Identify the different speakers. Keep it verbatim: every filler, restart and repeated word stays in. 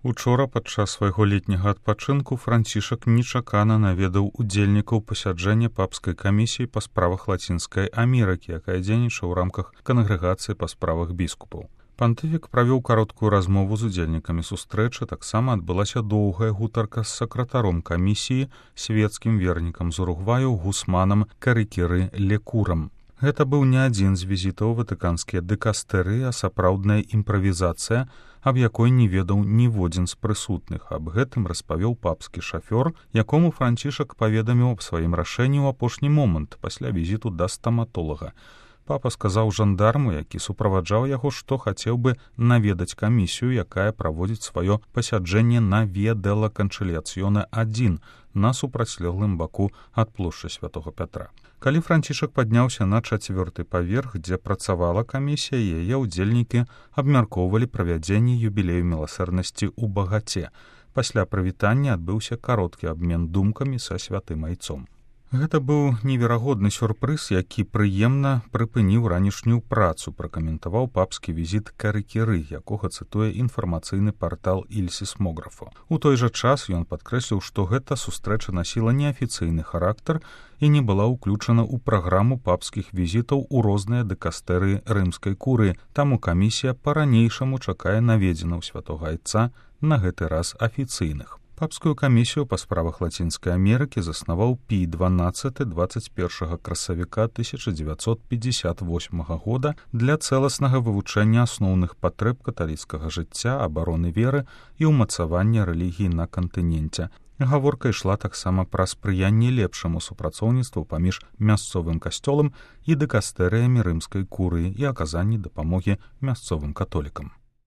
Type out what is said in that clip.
Speaker 1: Учора падчас свайго летняга адпачынку Францішак нечакана наведаў удзельнікаў пасяджэння папскай камісіі па справах Лацінскай Амерыкі, якая дзейнічае ў рамках кангрэгацыі па справах біскупаў. Пантыфік правёў кароткую размову з удзельнікамі сустрэчы, таксама адбылася доўгая гутарка з сакратаром камісіі, свецкім вернікам з Уругваю Гусманам Карикиры Лекурам. Гэта быў не адзін з візітаў ватыканскія дыкастэры, а сапраўдная імправізацыя, аб якой не ведаў ніводзін з прысутных. Аб гэтым распавёў папскі шафёр, якому Францішак паведаміў аб сваім рашэнні ў апошні момант пасля візіту да стаматолага. Папа сказаў жандарму, які суправаджаў яго, што хацеў бы наведаць камісію, якая праводзіць сваё пасяджэнне на Віа дella Conciliazione адзін на супрацьлеглым баку ад плошчы святого Пятра. Калі Францішак падняўся на чацвёрты паверх, дзе працавала камісія, яе ўдзельнікі абмяркоўвалі правядзенне юбілею міласэрнасці ў багаце. Пасля прывітання адбыўся кароткі абмен думкамі са святым айцом. Гэта быў неверагодны сюрпрыз, які прыемна прыпыніў ранішнюю працу, пракаментаваў папскі візіт Карикиры, якога цытуе інфармацыйны партал Иль Сісмографо. У той жа час ён падкрэсліў, што гэта сустрэча насіла неафіцыйны характар і не была ўключана ў праграму папскіх візітаў у розныя дыкастэры рымскай курыі, таму камісія па-ранейшаму чакае наведзенаў святога айца, на гэты раз афіцыйных. Папскую камісію па справах Лацінскай Амерыкі заснаваў Пій дванаццаты дваццаць першага красавіка тысяча дзевяцьсот пятьдесят восьмага года для цэласнага вывучэння асноўных патрэб каталіцкага жыцця, абароны веры і ўмацавання рэлігіі на кантыненце. Гаворка ішла таксама пра спрыянне лепшаму супрацоўніцтву паміж мясцовым касцёлам і дыкастэрыямі рымскай курыі і аказанні дапамогі мясцовым католікам.